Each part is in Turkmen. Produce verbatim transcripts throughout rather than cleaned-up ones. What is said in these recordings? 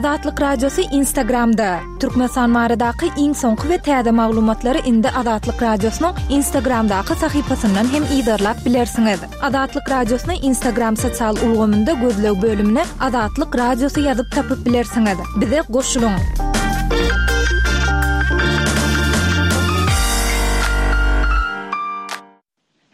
Azatlyk Radiosy Instagramda. Türkmenistan baradaky iň soňky we täze maglumatlary indi Azatlyk Radiosynyň Instagramdaky sahypasyndan hem yzarlap bilersiňiz. Azatlyk Radiosyny Instagram sosial ulgamynda gözleg bölümine Azatlyk Radiosy ýazyp tapyp bilersiňiz. Bize goşulyň.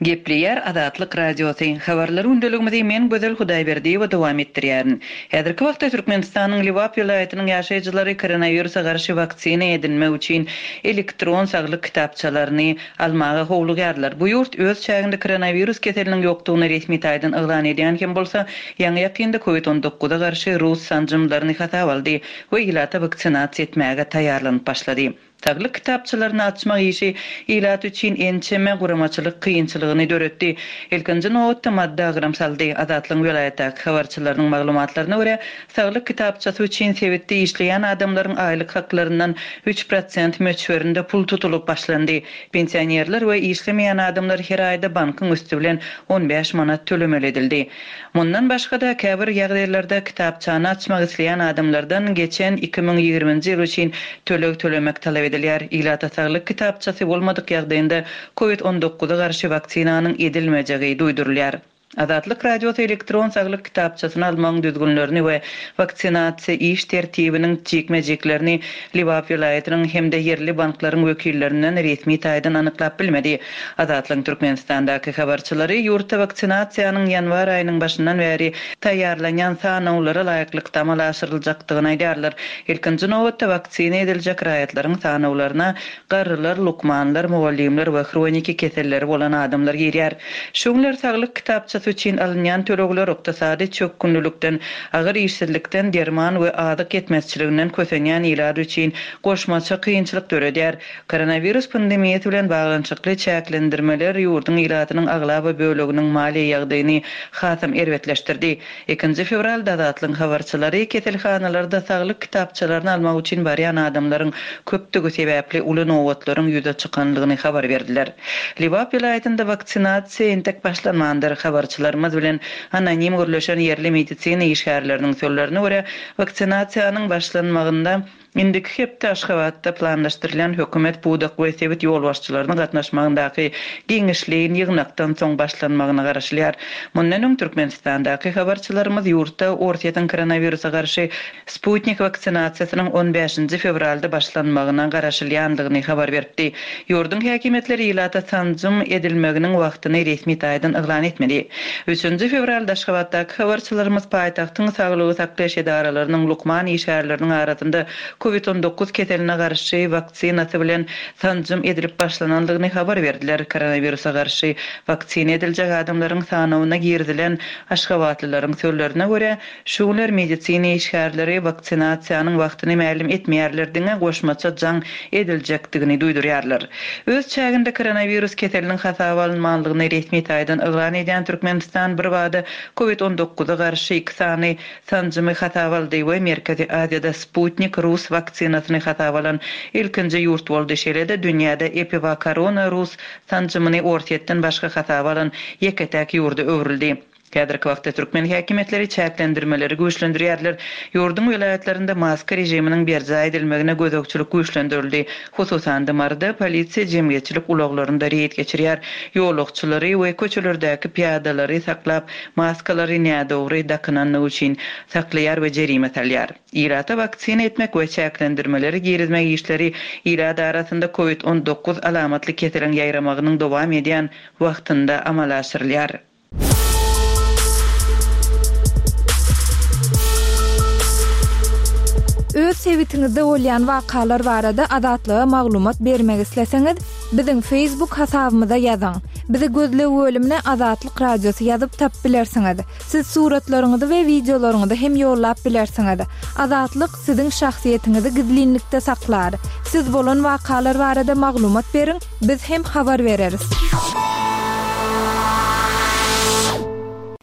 Gepleýär Azatlyk Radiosy. Habarlar gündeligimizi men Gözel Hudaýberdiýewa dowam etdirýärin. Häzirki wagtda Türkmenistanyň Lebap welaýatynyň ýaşaýjylary koronawirusa garşy waksina edinmek üçin elektron saglyk kitapçalaryny almaga howlugýarlar. Bu ýurt öz çäginde koronawirus keseliniň ýokdugyny resmi taýdan yglan edýän hem bolsa, ýaňy-ýakynda Covid on dokuza garşy rus sanjymlaryny hasaba aldy we ilata waksinasiýa etmäge taýýarlanyp başlady. Saglyk kitapçalaryny açmak işi ilat üçin ençeme guramaçylyk kynçylygyny döretdi. Ilkinji nobatda maddy agram saldy. Azatlygyň welaýatdaky habarçylarynyň maglumatlaryna görä, saglyk kitapçasy üçin sebitde işleýän adamlaryň aýlyk haklaryndan üç prosent möçberinde pul tutulyp başlandy. Pensionerler we işlemeýän adamlar her aýda bankyň üsti bilen on bäş manat tölemeli edildi. Mundan başga-da käbir ýagdaýlarda kitapçany açmak isleýän adamlardan geçen iki müň ýigriminji ýyl üçin töleg tölemek talap edilýär. Ilata saglyk kitapçasy bolmadyk ýagdaýynda Covid on dokuza garşy waksinanyň edilmejegi duýdurylýar. Azatlyk Radiosy elektron saglyk kitapçasyny almagyň düzgünlerini we waksinasiýa iş tertibiniň jikme-jiklerini Lebap welaýatynyň hem-de ýerli banklaryň wekillerinden resmi taýdan anyklap bilmedi. Azatlygyň Türkmenistandaky habarçylary ýurtda waksinasiýanyň ýanwar aýynyň başyndan bäri taýýarlanýan sanawlara laýyklykda amala aşyryljakdygyny aýdýarlar. Ilkinji nobatda waksina ediljek raýatlaryň sanawlaryna garrylar, lukmanlar, mugallymlar we hroniki keselleri bolan adamlar girýär. Şu günler saglyk kitapçasy üçin alynýan tölegler ykdysady çökgünlilikden, agyr işsizlikden, derman we azyk ýetmezçiliginden kösenýän ilat üçin goşmaça kynçylyk döredýär. Koronawirus pandemiýasy bilen baglanyşykly çäklendirmeler ýurduň ilatynyň aglaba böleginiň maliýe ýagdaýyny hasam erbetleşdirdi. Ikinji fewralda Azatlygyň habarçylary keselhanalarda saglyk kitapçalaryny almak üçin barýan adamlaryň köpdügi sebäpli uly nobatlaryň ýüze çykanlygyny habar berdiler. Lebap welaýatynda waksinasiýa entek başlanmandyr. Habarçylarymyz bilen anonim gürleşen ýerli medisina işgärleriniň sözlerine görä, waksinasiýanyň başlanmagynda indiki hepde Aşgabatda planlaşdyrylan hökümet pudak we sebit ýolbaşçylarynyň gatnaşmagyndaky giňişleýin ýygnakdan soň başlanmagyna garaşylýar. Mundan öň Türkmenistandaky habarçylarymyz ýurtda Orsýetiň koronawirusa garşy Sputnik waksinasiýasynyň on bäşinji fewralda başlanmagyna garaşylýandygyny habar beripdi. Ýurduň häkimiýetleri ilata sanjym edilmeginiň wagtyny resmi taýdan yglan etmedi. Üçünji fewralda Aşgabatdaky habarçylarymyz paýtagtyň saglygy saklaýyş edaralarynyň lukman işgärleriniň arasynda Covid on dokuz keseline garşy waksinasy bilen sanjym edilip başlanandygyny habar berdiler. Koronawirusa garşy waksina ediljek adamlaryň sanawyna girizilen Aşgabatlylaryň sözlerine görä, şu günler medisina işgärleri waksinasiýanyň wagtyny mälim etmeýärler, diňe goşmaça jaň ediljekdigini duýdurýarlar. Öz çäginde koronawirus keseliniň hasaba alynmanlygyny resmi taýdan yglan edýän Türkmenistan bir bada Covid on dokuza garşy iki sany sanjymy hasaba aldy we Merkezi Aziýada Sputnik rus waksinasyny hasaba alan ilkinji ýurt boldy. Şeýle-de dünýäde Epivakorona rus sanjymyny Orsýetden başga hasaba alan ýeke-täk ýurda öwrüldi. Häzirki wagtda türkmen häkimiýetleri çäklendirmeleri güýçlendirýärler. Ýurduň welaýatlarynda maska režiminiň berjaý edilmegine gözegçilik güýçlendirildi. Hususan-da Maryda polisiýa jemgyýetçilik ulaglarynda reýd geçirýär. Ýolagçylary we köçelerdäki piýadalary saklap, maskalary nädogry dakynanlygy üçin saklaýar we jerime salýar. Ilata waksina etmek we çäklendirmeleri girizmek işleri ilat arasynda Covid on dokuz alamatly keseliň ýaýramagynyň dowam edýän wagtynda amala aşyrylýar. Öz sebitiňizde bolýan wakalar barada Azatlyga maglumat bermek isleseňiz, biziň Facebook hasabymyza ýazyň. Bizi gözleg bölümine Azatlyk Radiosy ýazyp tap bilersiňiz. Siz suratlaryňyzy we wideolaryňyzy hem ýollap bilersiňiz. Azatlyk siziň şahsyýetiňizi gizlinlikde saklar. Siz bolan wakalar barada maglumat beriň, biz hem habar bereris.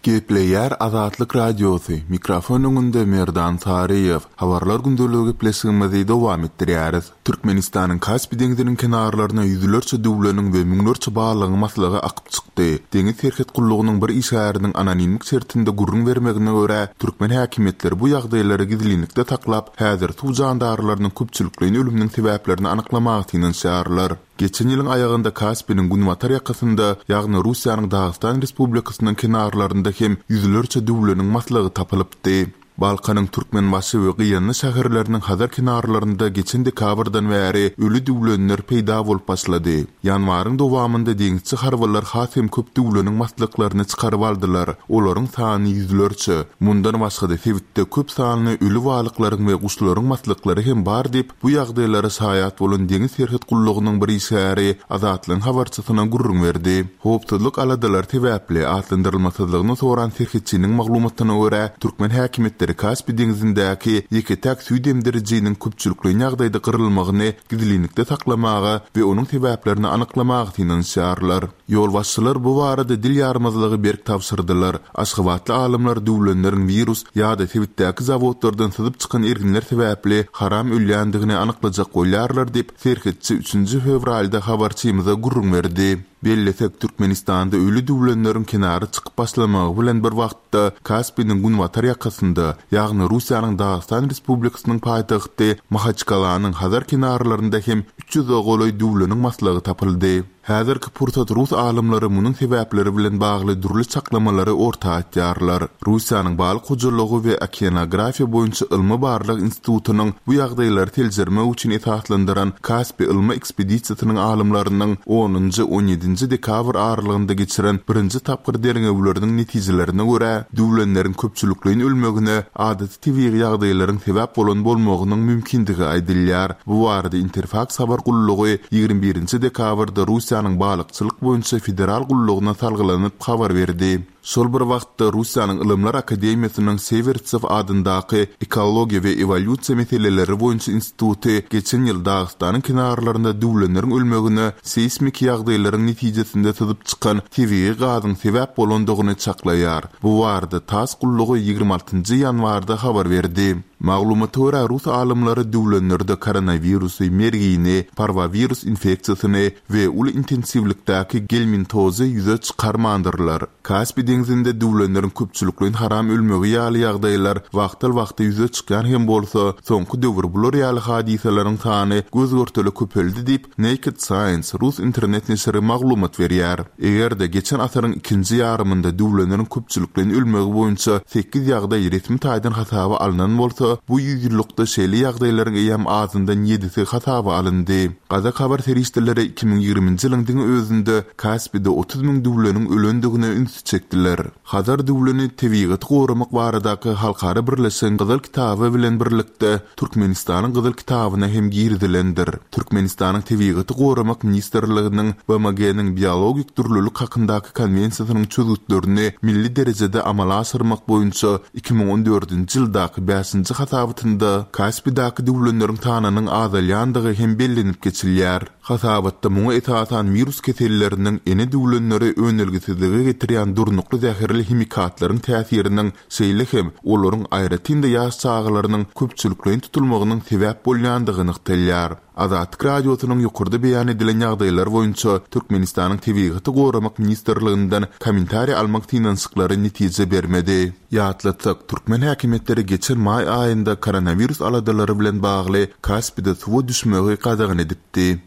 Gepleýär Azatlyk Radiosy, mikrofon öňünde Merdan Saryýew. Habarlar gündeligi gepleşigimizi dowam etdirýäris. Türkmenistanyň Kaspi deňziniň kenarlaryna ýüzlerçe düwleniň we müňlerçe balygyň maslygy akyp çykdy. Deňiz serhet gullugynyň bir işgäriniň anonimlik şertinde gürrüň bermegine görä, türkmen häkimiýetleri bu ýagdaýlary gizlinlikde saklap, häzir suw jandarlarynyň köpçülikleýin ölüminiň sebäplerini anyklamaga synanyşýarlar. Geçen ýylyň aýagynda Kaspiniň günbatar ýakasynda, ýagny Russiýanyň Dagystan Respublikasynyň kenarlarynda hem ýüzlerçe düwleniň maslygy tapylypdy. Balkanyň Türkmenbaşy we Gyýanly şäherleriniň Hazar kenarlarynda geçen dekabrdan bäri öli düwlenler peýda bolup başlady. Ýanwaryň dowamynda deňizçi harbylar has hem köp düwleniň maslyklaryny çykaryp aldylar. Olaryň sany ýüzlerçe. Mundan başga-da sebitde köp sanly öli balyklaryň we guşlaryň maslyklary hem bar diýip, bu ýagdaýlara şaýat bolan deňiz serhet gullugynyň bir işgäri Azatlygyň habarçysyna gürrüň berdi. Howpsuzlyk aladalary sebäpli atlandyrylmasyzlygyny soran serhetçiniň maglumatyna görä, türkmen häkimiýetleri Kaspi deňzindäki ýeke-täk süýt emdirijiniň köpçülikleýin ýagdaýda gyrylmagyny gizlinlikde saklamaga we onuň sebäplerini anyklamaga synanyşýarlar. Ýolbaşçylar bu barada dil ýarmazlygy berk tabşyrdylar. Aşgabatly alymlar düwlenleriň wirus ýa-da sebitdäki zawodlardan syzyp çykan erginler sebäpli haram ölýändigini anyklajak bolýarlar diýip, serhetçi üçünji fewralda habarçymyza gürrüň berdi. Bellesek, Türkmenistanda öli düwlenleriň kenara çykyp başlamagy bilen bir wagtda Kaspiniň günbatar ýakasynda, ýagny Russiýanyň Dagystan Respublikasynyň paýtagty Mahaçkalanyň Hazar kenarlarynda hem üç ýüze golaý düwleniň maslygy tapyldy. Häzirki pursat rus alymlary munuň sebäpleri bilen bagly dürli çaklamalary orta atýarlar. Russiýanyň Balyk hojalygy we okeanografiýa boýunça ylmy-barlag institutynyň bu ýagdaýlary seljermek üçin esaslandyran Kaspi ylmy ekspedisiýasynyň alymlarynyň onunjy on ýedinji dekabr aralygynda geçiren birinji tapgyr derňewleriniň netijelerine görä, düwlenleriň köpçülikleýin ölmegine adaty tebigy ýagdaýlaryň sebäp bolan bolmagynyň mümkindigi aýdylýar. Bu barada Interfaks habar gullugy ýigrimi birinji dekabrda Russiýanyň balykçylyk boýunça federal gullugyna salgylanyp habar berdi. Şol bir wagtda Russiýanyň Ylymlar akademiýasynyň Sewertsew adyndaky ekologiýa we ewolýusiýa meseleleri boýunça instituty geçen ýyl Dagystanyň kenarlarynda düwlenleriň ölmegine seýsmiki ýagdaýlaryň netijesinde syzyp çykan tebigy gazyň sebäp bolandygyny çaklaýar. Bu barada TASS gullugy ýigrimi altynjy ýanwarda habar berdi. Maglumata görä, rus alymlary düwlenlerde koronawirusy, mergini, parwowirus infeksiýasyny we uly intensiwlikdäki gelmintozy ýüze çykarmandyrlar. Kaspi deňzinde düwlenleriň köpçülikleýin haram ölmegi ýaly ýagdaýlar wagtal-wagta ýüze çykýan hem bolsa, soňky döwür bular ýaly hadysalaryň sany göz-görtele köpeldi diýip, Naked Science rus internet neşiri maglumat berýär. Eger-de geçen asyryň ikinji ýarymynda düwlenleriň köpçülikleýin ölmegi boýunça sekiz ýagdaý resmi taýdan hasaba alnan bolsa, bu ýüzýyllykda şeýle ýagdaýlaryň eýýäm azyndan ýedisi hasaba alyndy. Gazak habar serişdeleri iki müň ýigriminji ýylyň diňe özünde Kaspide otuz müň düwleniň ölendigine ünsi çekdiler. Hazar düwleni tebigaty goramak baradaky halkara birleşigiň Gyzyl kitaby bilen birlikde Türkmenistanyň Gyzyl kitabyna hem girizilendir. Türkmenistanyň Tebigaty goramak ministrliginiň B M G-niň biologik dürlülik hakyndaky konwensiýasynyň çözgütlerini milli derejede amala aşyrmak boýunça iki müň on dördünji ýyldaky bäşinji hasabatynda Kaspidäki düwlenleriň sanynyň azalýandygy hem bellenip geçilýär. Hasabatda muňa esasan wirus keselleriniň ene düwlenleri önelgesizlige getirýän durnukly zäherli himikatlaryň täsiriniň, şeýle hem olaryň aýratyn-da ýaş çagalarynyň köpçülikleýin tutulmagynyň sebäp bolýandygy nygtalýar. Azatlyk Radiosynyň ýokarda beýan edilen ýagdaýlar boýunça Türkmenistanyň Tebigaty goramak ministrliginden kommentariý almak synanyşyklary netije bermedi. Ýatlatsak, türkmen häkimiýetleri geçen maý aýynda koronawirus aladalary bilen bagly Kaspide suwa düşmegi gadagan edipdi.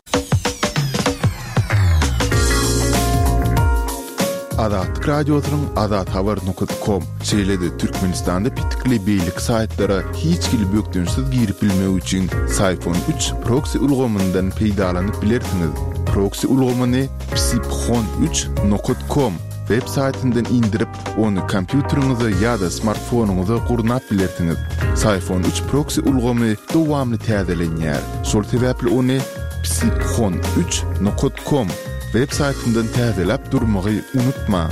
Azatlyk Radiosynyň Azat Habar nokta com, şeýle-de Türkmenistanda petikli beýleki saýtlara hiç hili bökdençsiz girip bilmek üçin Syfon üç proksi ulgamyndan peýdalanyp bilersiňiz. Proksi ulgamyny psiphon üç nokta com web saýtyndan indirip, ony kompýuteriňize ýa-da smartfonyňyza gurnap bilersiňiz. Syfon üç proksi ulgamy dowamly täzelenýär. Şol sebäpli ony psiphon üç nokta com web saýtyndan täzeläp durmagy unutma.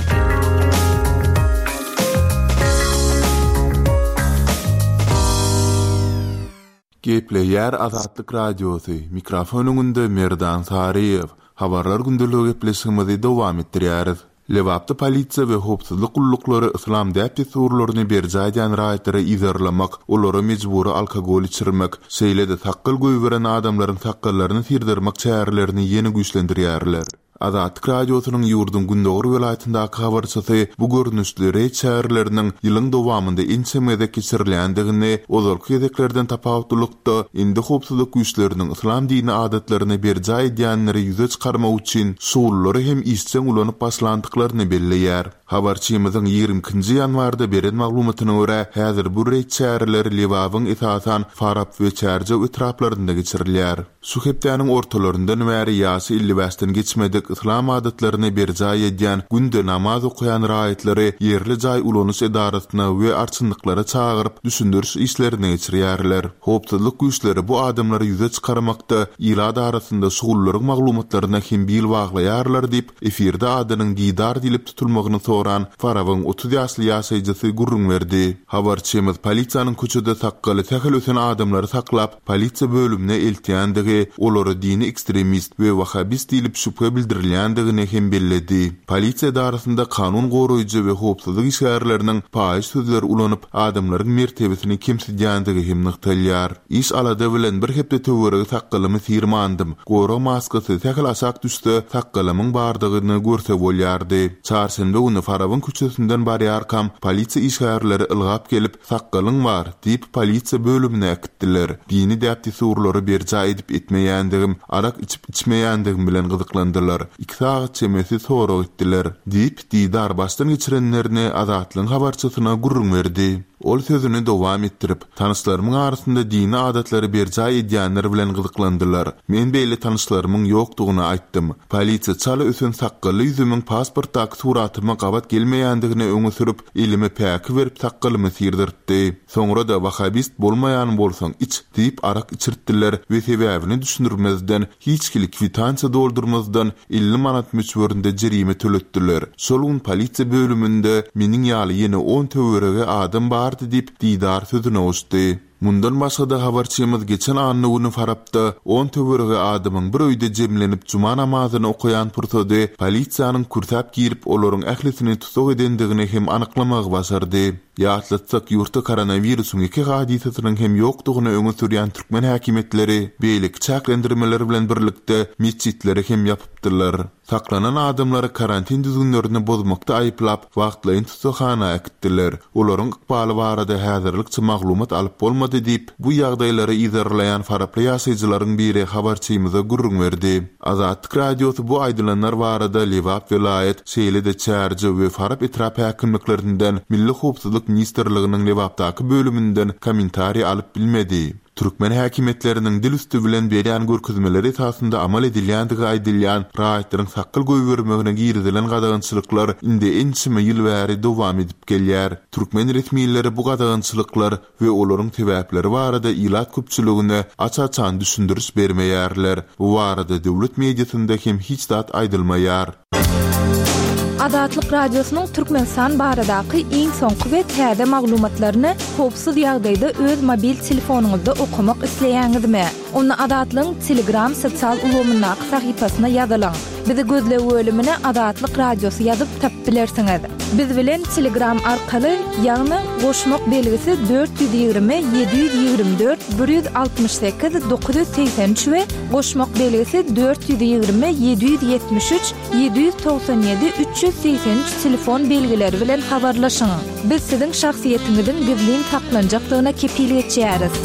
Gepleýär Azatlyk Radiosy, mikrofon öňünde Merdan Saryýew. Habarlar gündeligi gepleşigimizi dowam etdirýäris. Lebapda polisiýa we howpsuzlyk gulluklary yslam däp-dessurlaryny berjaý edýän raýatlary yzarlamak, olara mejbury alkogol içirmek, şeýle-de sakgal goýberen adamlaryň sakgallaryny syrdyrmak çärelerini ýene güýçlendirýärler. Azatlyk Radiosynyň ýurduň gündogar welaýatyndaky habarçysy bu görnüşli reýd çäreleriniň ýylyň dowamynda ençeme gezek geçirilýändigini, ozalky gezeklerden tapawutlylykda, indi howpsuzlyk güýçleriniň yslam dini adatlaryny berjaý edýänleri ýüze çykarmak üçin şugullary hem işjeň ulanyp başlandyklaryny belleýär. Habarçymyzyň ýigrimi ikinji ýanwarda beren maglumatyna görä, häzir bu reýd çäreleri Lebabyň esasan Farap we Çärjew etraplarynda geçirilýär. Şu hepdäniň ortalaryndan bäri ýaşy elli bäşden geçmedik yslam adatlaryny berjaý edýän, günde namaz okaýan raýatlary ýerli jaý ulanyş edarasyna we arçynlyklara çagyryp, düşündiriş işlerini geçirýärler. Howpsuzlyk güýçleri bu adamlary ýüze çykarmakda ilat arasynda şugullaryň maglumatlaryna hem bil baglaýarlar diýip, efirde adynyň Didar diýlip tutulmagyny soran Farabyň otuz ýaşly ýaşaýjysy gürrüň berdi. Habarçymyz polisiýanyň köçede sakgaly sähel ösen adamlary saklap, polisiýa bölümine eltýändigi, olara dini ekstremist we wahhabist diýlip şübhe bildirilýändigini hem belledi. Polisiýa edarasynda kanun goraýjy we howpsuzlyk işgärleriniň paýyş sözleri ulanyp, adamlaryň mertebesini kemsidýändigi hem nygtalýar. Iş alada bilen bir hepde töweregi sakgalymy syrmandym. Gorag maskasy sähel aşak düşse, sakgalymyň bardygyny görse bolýardy. Çarşenbe güni Farabyň köçesinden barýarkam, polisiýa işgärleri ylgap gelip, sakgalyň bar diýip polisiýa bölümine äkitdiler. Dini däp-dessurlary berjaý edip etmeýändigim, arak içip içmeýändigim bilen gyzyklandylar. Iki sagat çemesi sorag etdiler diýip, Didar başdan geçirenlerini Azatlygyň habarçysyna gürrüň berdi. Ol sözüni dowam etdirip, tanyşlarymyň arasynda dini adatlary berjaý edýänler bilen gyzyklandylar. Men beýle tanyşlarymyň ýokdugyny aýtdym. Polisiýa çala ösen sakgally ýüzümiň pasportdaky suratyma gabat gelmeýändigini öňe sürüp, elime päki berip sakgalymy syrdyrtdy. Soňra da wahhabist bolmaýan bolsaň iç diýip arak içirtdiler we sebäbini düşündirmezden, hiç hili kwitansiýa doldurmazdan elli manat möçberinde jerime töletdiler. Şol gün polisiýa bölüminde meniň ýaly ýene on töweregi adam bardy diýip Didar sözüne goşdy. Mundan başga-da habarçymyz geçen anna güni Farapda on töweregi adamyň bir öýde jemlenip juma namazyny okaýan pursady polisiýanyň kürsäp girip olaryň ählisini tussag edendigini hem anyklamagy başardy. Ýatlatsak, ýurtda koronawirusyň iki hadysasynyň hem ýokdugyny öňe sürýän türkmen häkimiýetleri beýleki çäklendirmeler bilen birlikde metjitleri hem ýapypdylar. Saklanan adamlary karantin düzgünlerini bozmakda aýyplap, wagtlaýyn tussaghana äkitdiler. Olaryň ykbaly barada häzirlikçe maglumat alyp bolmady diýip, bu ýagdaýlary yzarlaýan Faraply ýaşaýjylaryň biri habarçymyza gürrüň berdi. Azatlyk Radiosy bu aýdylanlar barada Lebap welaýat, şeýle-de Çärjew we Farap etrap häkimliklerinden Milli Howpsuzlyk Ministrliginiň Lebapdaky bölüminden kommentariý alyp bilmedi. Türkmen häkimiýetleriniň dil üsti bilen berýän görkezmeleri esasynda amal edilýändigi aýdylýan raýatlaryň sakgal goýbermegine girizilen gadagançylyklar indi ençeme ýyl bäri dowam edip gelýär. Türkmen resmileri bu gadagançylyklar we olaryň sebäpleri barada ilat köpçüligine aç-açan düşündiriş bermeýärler. Bu barada döwlet mediasynda hem hiç zat aýdylmaýar. Azatlyk Radiosynyň Türkmenistan baradaky iň soňky we täze maglumatlaryny howpsuz ýagdaýda öz mobil telefonyňyzda okamak isleýäňizmi? Onda Azatlygyň Telegram sosial ulgamyndaky sahypasyna ýazylyň. Bizi gözleg bölümine Azatlyk Radiosy ýazyp tapyp bilersiňiz. Biz bilen Telegram arkaly, ýagny goşmak belgisi dört ýüz ýigrimi ýedi ýüz ýigrimi dört bir ýüz altmyş sekiz dokuz ýüz segsen üç we goşmak belgisi dört ýüz ýigrimi ýedi ýüz ýetmiş üç ýedi ýüz togsan ýedi üç ýüz segsen üç telefon belgileri bilen habarlaşyň. Biz siziň şahsyýetiňiziň gizlin saklanjakdygyna kepil geçýäris.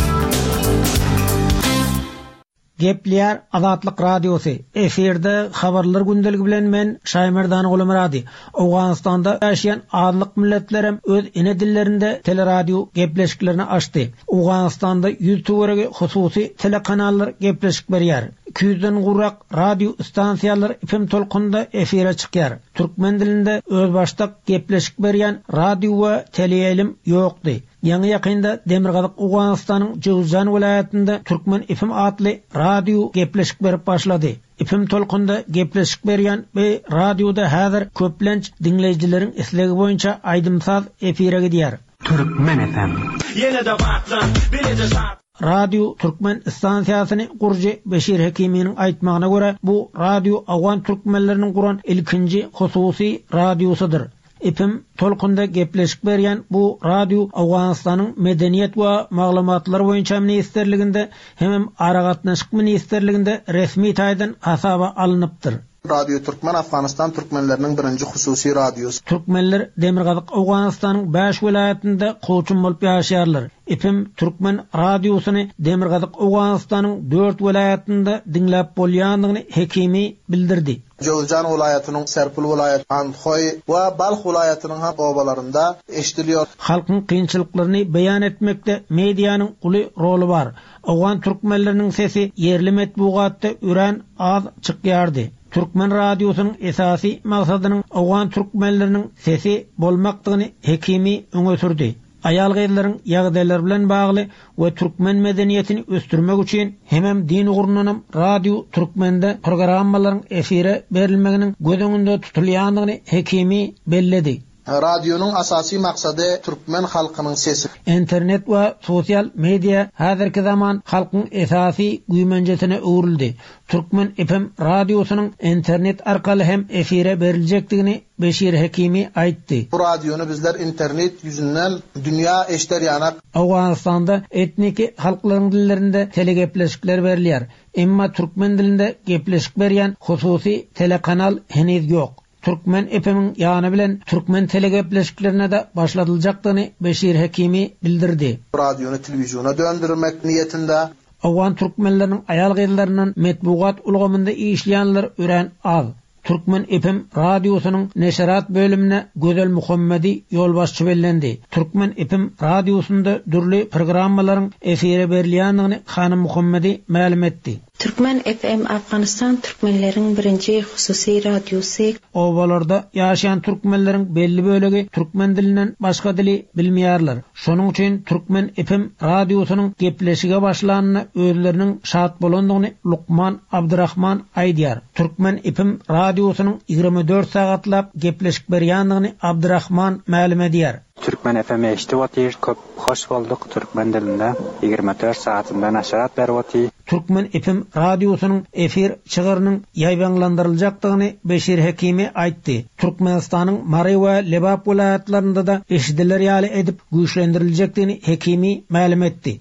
Gepleýär Azatlyk Radiosy. Efirde habarlar gündeligi bilen men Şaýmerdan Gulmyrady. Owganystanda ýaşaýan azlyk milletlerem öz ene dillerinde teleradio gepleşiklerini açdy. Owganystanda ýüz töweregi hususy telekanallar gepleşik berýär. Iki ýüzden gowrak radio stansiýalar F M tolkunynda efire çykýar. Türkmen dilinde özbaşdak gepleşik berýän radio we teleýaýlym ýokdy. Ýaňy ýakynda Demirgazyk Owganystanyň Jowzjan welaýatynda Türkmen F M atly radio gepleşik berip başlady. F M tolkunda gepleşik berýän we radioda häzir köplenç diňleýjileriň islegi boýunça aýdym-saz efire gidýär. Türkmen F M. Ýene de batlan, bileje şat. Radio Türkmen stansiýasyny gurujy Beşir Hekiminiň aýtmagyna görä, bu radio Owgan türkmenleriniň guran ilkinji hususy radiosydyr. Epim tolkunda gepleşik berýän bu radio Owganystanyň Medeniýet we maglumatlar boýunça ministrliginde hemem Aragatnaşyk ministrliginde resmi taýdan hasaba alnypdyr. Radio Türkmen Afganistan türkmenleriniň birinji hususy radiosy. Türkmenler Demirgazyk Owganystanyň bäş welaýatynda kowçum bolup ýaşaýarlar. Epim Türkmen radiosyny Demirgazyk Owganystanyň dört welaýatynda diňläp bolýandygyny Hekimi bildirdi. Jowzjan welaýatynyň Serpil welaýaty, Andhoý we Balh welaýatynyň hem obalarynda eşidiliyor. Halkyň kynçylyklaryny beýan etmekde medianyň uly roly bar. Owgan türkmenleriniň sesi ýerli metbugatda örän az çykýardy. Türkmen radiosynyň esasy maksadynyň Owgan türkmenleriniň sesi bolmakdygyny Hekimi öňe sürdi. Aýal gyzlaryň ýagdaýlary bilen bagly we türkmen medeniýetini ösdürmek üçin hemem din ugrundanam Radio Türkmende programmalaryň efire berilmeginiň göz öňünde tutulýandygyny Hekimi belledi. Radionyň asasy maksady türkmen halkynyň sesi. Internet we sosial media häzirki zaman halkyň esasy güýmenjesine öwrüldi. Türkmen F M radiosynyň internet arkaly hem efire beriljekdigini Beşir Hekimi aýtdy. Bu radiony bizler internet ýüzünden dünýä eşder ýanak. Owganystanda etniki halklaryň dillerinde telegepleşikler berilýär. Emma türkmen dilinde gepleşik berýän hususy telekanal heniz ýok. Türkmen F M-iň ýany bilen türkmen telegepleşiklerine de başladyljakdygyny Beşir Hekimi bildirdi. Radiony telewiziona döndürmek niýetinde. Owgan türkmenleriniň aýal gyzlaryndan metbugat ulgamynda işleýänler örän az. Türkmen F M radiosynyň neşerat bölümine Gözel Muhammedi ýolbaşçy bellendi. Türkmen F M radiosynda dürli programmalaryň efire berilýändigini Hanym Muhammedi mälim etdi. Türkmen F M Afganistan türkmenleriň birinji hususy radiosy. Obalarda ýaşaýan türkmenleriň belli bölegi türkmen dilinden başga dili bilmeýärler. Şonuň üçin Türkmen F M radiosynyň gepleşige başlanyna özleriniň şat bolandygyny Lukman Abdurrahman aýdýar. Türkmen F M radiosynyň ýigrimi dört sagatlap gepleşik berýändigini Abdurrahman mälim edýär. Türkmen F M eşitip otyr, köp hoş bolduk türkmen dilinde ýigrimi dört sagatynda naşarat berip otyr. Türkmen F M radiosynyň efir çygyrynyň ýaýbaňlandyryljakdygyny Beşir Hekimi aýtdy. Türkmenistanyň Mary we Lebap welaýatlarynda da eşidiler ýaly edip güýçlendiriljekdigini Hekimi mälim etdi.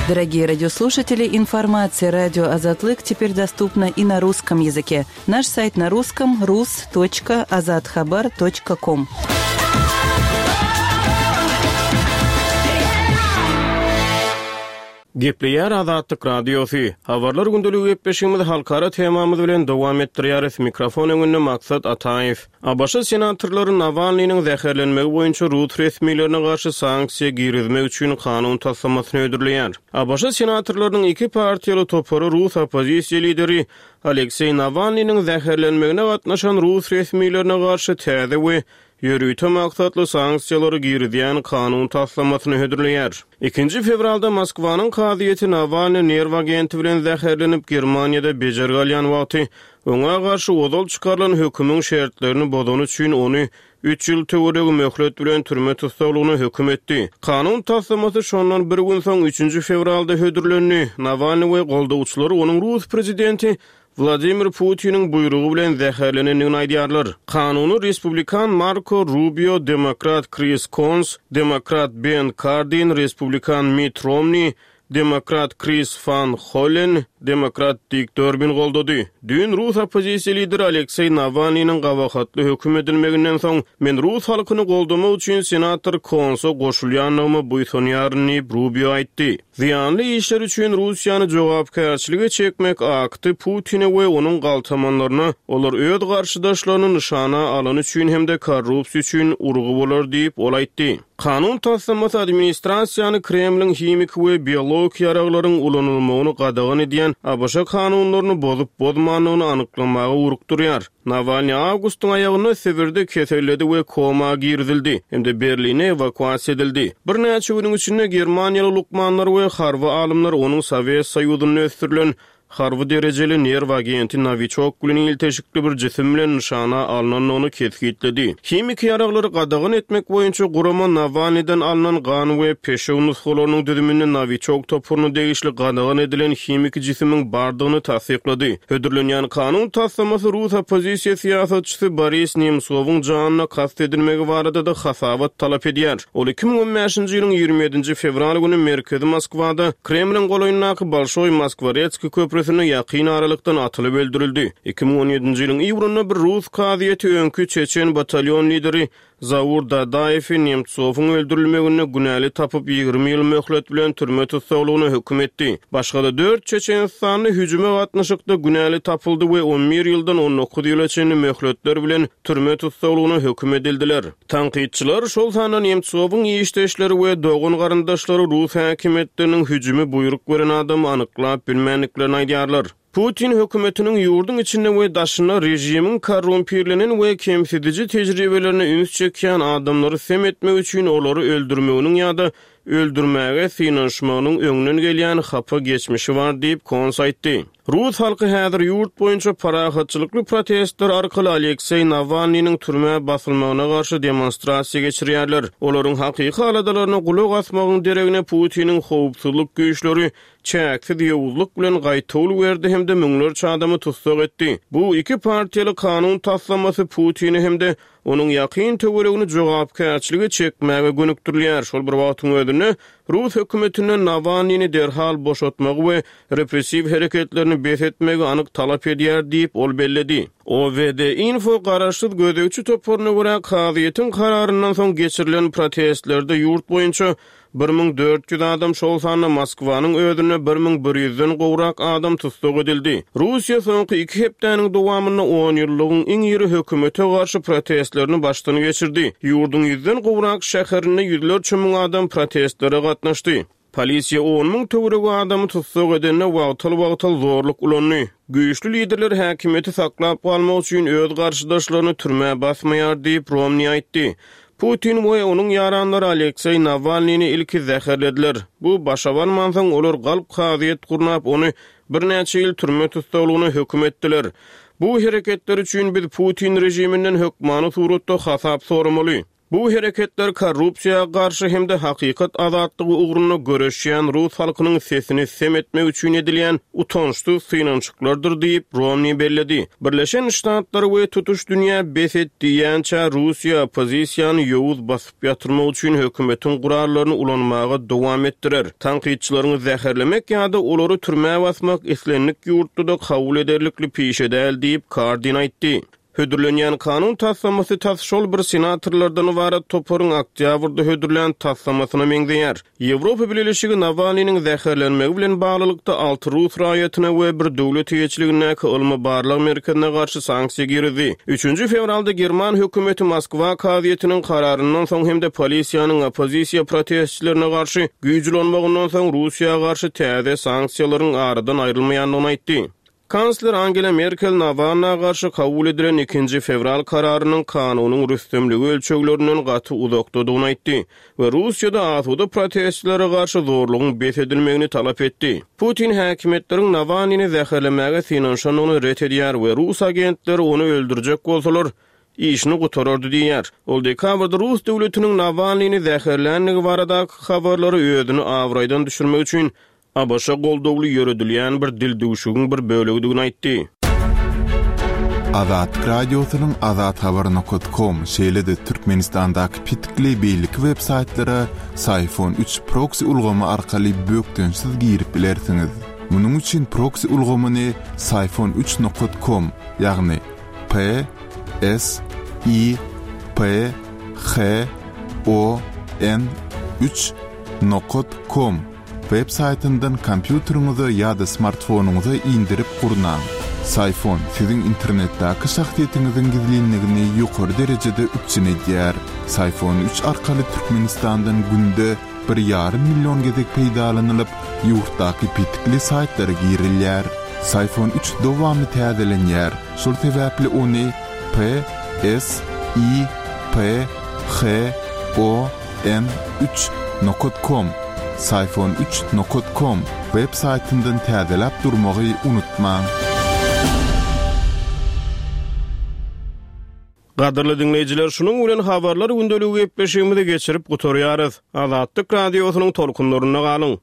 Дорогие радиослушатели, информация радио Азатлык теперь доступна и на русском языке. Наш сайт на русском рус точка азатхабар точка ком. Gepleýär Azatlyk Radiosy. Habarlar gündeligi gepleşigimizi halkara temamyz bilen dowam etdirýäris. Mikrofon öňünde Maksat Ataýew. A B Ş senatorlary Nawalnynyň zäherlenmegi boýunça rus resmilerine garşy sanksiýa girizmek üçin kanun taslamasyny hödürleýär. A B Ş senatorlarynyň iki partiýaly topary rus oppozisiýa lideri Alekseý Nawalnynyň zäherlenmegine gatnaşan rus resmilerine garşy täze we ýörite maksatly sanksiýalary girizýän kanun taslamasyny hödürleýär. Ikinji fewralda Moskwanyň kazyýeti Nawalny nerw agenti bilen zäherlenip Germaniýada bejergi alýan wagty oňa garşy ozal çykarylan hökümiň şertlerini bozany üçin ony üç ýyl töweregi möhlet bilen türme tussaglygyna höküm etdi. Kanun taslamasy şondan bir gün soň üçünji fewralda hödürlendi. Nawalny we goldawçylary onuň rus prezidenti Wladimir Putiniň buýrugy bilen zäherlenendigini aýdýarlar. Kanuny Respublikan Marko Rubio, Demokrat Chris Coons, Demokrat Ben Cardin, Respublikan Mitt Romney, Demokrat Chris Van Hollen, Demokrat Dick Durbin goldady. Düýn rus oppozisiýa lideri Alekseý Nawalnynyň gabahatly höküm edilmeginden soň men rus halkyny goldamak üçin senator Coons'a goşulýandygymy buýsanýaryn diýip Rubio aýtdy. Zyýanly işler üçin Russiýany jogapkärçilige çekmek akty Putine we onuň galtamanlaryna olar öz garşydaşlaryny nyşana alany üçin hem-de korrupsiýa üçin urgy bolar diýip ol aýtdy. Kanun taslamasy administrasiýany Kremliň himiki we biologik ýaraglaryň ulanylmagyny gadagan edýän A B Ş kanunlaryny bozup bozmandygyny anyklamaga urukdurýar. Nawalny awgustyň aýagynda Sibirde keselledi we koma girizildi hem-de Berline ewakuasiýa edildi. Birnäçe günüň içinde Germaniýaly lukmanlar we harby alymlar onuň Sowet Soýuzynda ösdürilen harby derejeli nerw agenti Nowiçok bilen ilteşikli bir jisim bilen nyşana alnandygyny kesgitledi. Himiki ýaraglary gadagan etmek boýunça gurama Nawalnydan alnan gan we peşew nusgalarynyň düzüminde Nowiçok toparyna degişli gadagan edilen himiki jisimiň bardygyny tassyklady. Hödürlenýän kanun taslamasy rus oppozisiýa syýasatçysy Boris Nemtsowyň janyna kast edilmegi barada-da hasabat talap edýär. Ol iki müň on bäşinji ýylyň ýigrimi ýedinji fewral güni merkezi Moskwada Kremliň golaýyndaky Bolşoý Moskwaretskiý köprüsinde ýakyn aralykdan atylyp öldürildi. Iki müň on ýedinji ýylyň iýunynda bir rus kazyýeti öňki çeçen batalýon lideri Zaur Dadaýewi Nemtsowyň öldürilmeginde günäli tapyp ýigrimi ýyl möhlet bilen türme tussaglygyna höküm etdi. Başga-da dört çeçenistanly hüjüme gatnaşykda günäli tapyldy we on bir ýyldan on dokuz ýyla çenli möhletler bilen türme tussaglygyna höküm edildiler. Tankytçylar, şol sanda Nemtsowyň işdeşleri we dogan garyndaşlary rus häkimiýetleriniň hüjümi buýruk beren adamy anyklap bilmändiklerini aýdýarlar. Putin hökümetiniň ýurduň içinde we daşynda režimiň korrumpirlenen we kemsidiji tejribelerine üns çekýän adamlary sem etmek üçin olary öldürmeginiň ýa-da öldürmäge synanyşmagynyň öňünden gelýän hapa geçmişi bar diýip Kons aýtdy. Rus halky häzir ýurt boýunça parahatçylykly protestler arkaly Alekseý Nawalnynyň türmä basylmagyna garşy demonstrasiýa geçirýärler. Olaryň hakyky aladalaryna gulak asmagyň deregine Putiniň howpsuzlyk güýçleri çäksiz ýowuzlyk bilen gaýtawul berdi hem-de müňlerçe adamy tussag etdi. Bu iki partiýaly kanun taslamasy Putini hem-de onuň ýakyn töweregini jogapkärçilige çekmäge gönükdirilýär. Şol bir wagtyň özünde Rus hökümetinden Nawalnyny derhal boşatmagy we repressiw hereketlerini bes etmegi anyk talap edýär diýip ol belledi. O V D Info garaşsyz gözegçi toparyna görä kazyýetiň kararyndan soň geçirilen protestlerde ýurt boýunça bir müň dört ýüz adam, şol sanda Moskwanyň özünde bir müň bir ýüzden gowrak adam tussag edildi. Russiýa soňky iki hepdäniň dowamynda on ýyllygyň iň iri hökümete garşy protestlerini başdan geçirdi. Ýurduň ýüzden gowrak şäherinde ýüzlerçe müň adam protestlere gatnaşdy. Polisiýa on müň töweregi adamy tussag edende wagtal-wagtal zorluk ulandy. Güýçli liderler häkimiýeti saklap galmak üçin öz garşydaşlaryny türmä basmaýar diýip Romney aýtdy. Putin we onuň ýaranlary Alekseý Nawalnyny ilki zäherlediler. Bu başa barmansoň olar galp kazyýet gurnap ony birnäçe ýyl türme tussaglygyna höküm etdiler. Bu hereketler üçin biz Putin režiminden hökmany suratda hasap soramaly. Bu hereketler korrupsiýa garşy hem-de hakykat azatlygy ugrunda göreşýän rus halkynyň sesini sem etmek üçin edilýän utançsyz synanyşyklardyr diýip Romney belledi. Birleşen Ştatlar we tutuş dünýä bes et diýýänçä Russiýa oppozisiýany ýowuz basyp ýatyrmak üçin hökümetiň gurallaryny ulanmaga dowam etdirer. Tankytçylaryny zäherlemek ýa-da olary türmä basmak islendik ýurtda-da kabul ederlikli pişe däl diýip Kardin aýtdy. Hödürlenýän kanun taslamasy tas şol bir senatorlardan ybarat toparyň oktýabrda hödürlän taslamasyna meňzeýär. Ýewropa Bileleşigi Nawalnynyň zäherlenmegi bilen baglylykda alty rus raýatyna we bir döwlet eýeçiligindäki ylmy barlag merkezine garşy sanksiýa girdi. Üçünji fewralda German hökümeti Moskwa kazyýetiniň kararyndan soň hem-de polisiýanyň oppozisiýa protestçilerine garşy güýç ulanmagyndan soň Russiýa garşy täze sanksiýalaryň aradan aýrylmaýandygyny aýtdy. Kansler Angela Merkel Nawalna garşy kabul edilen ikinji fewral kararynyň kanunyň rüstemligi ölçeglerinden gaty uzakdadygyny aýtdy we Russiýada asuda protestlere garşy zorlugyň bes edilmegini talap etdi. Putin häkimiýetleriň Nawalnyny zäherlemäge synanyşandygyny ret edýär we rus agentleri ony öldürjek bolsalar işini gutarardy diýýär. Ol dekabrda Rus döwletiniň Nawalnyny zäherländigi baradaky habarlary özüni abraýdan düşürmek üçin A B Ş goldawly ýöredilýän bir dildüwşügiň bir bölegidigini aýtdy. Azatlyk Radiosynyň azathabar nokta com, şeýle-de Türkmenistandaky pitikli beýleki web saýtlara Psiphon üç proxy ulgamy arkaly bökdençsiz girip bilersiňiz. Munuň üçin proxy ulgamyny Psiphon üç nokta com, ýagny P S I P H O N üç nokta com web saýtyndan kompýuteriňize ýa-da smartfonyňyza indirip gurnaň. Psiphon siziň internetdäki şahsyýetiňiziň gizlinligini ýokary derejede üpjün edýär. Psiphon üç arkaly Türkmenistandan günde bir ýarym million gezek peýdalanylyp, ýurtdaky pitikli saýtlara girilýär. Psiphon üç dowamly täzelenýär. Şol sebäpli ony P S I P H O N üç nokta com Syfon üç nokat kom web saýtyndan täzeläp durmagy unutmaň. Gadyrly diňleýjiler, şunuň bilen habarlar gündeligi gepleşigimizi geçirip gutarýarys. Azatlyk Radiosynyň tolkunlarynda galyň.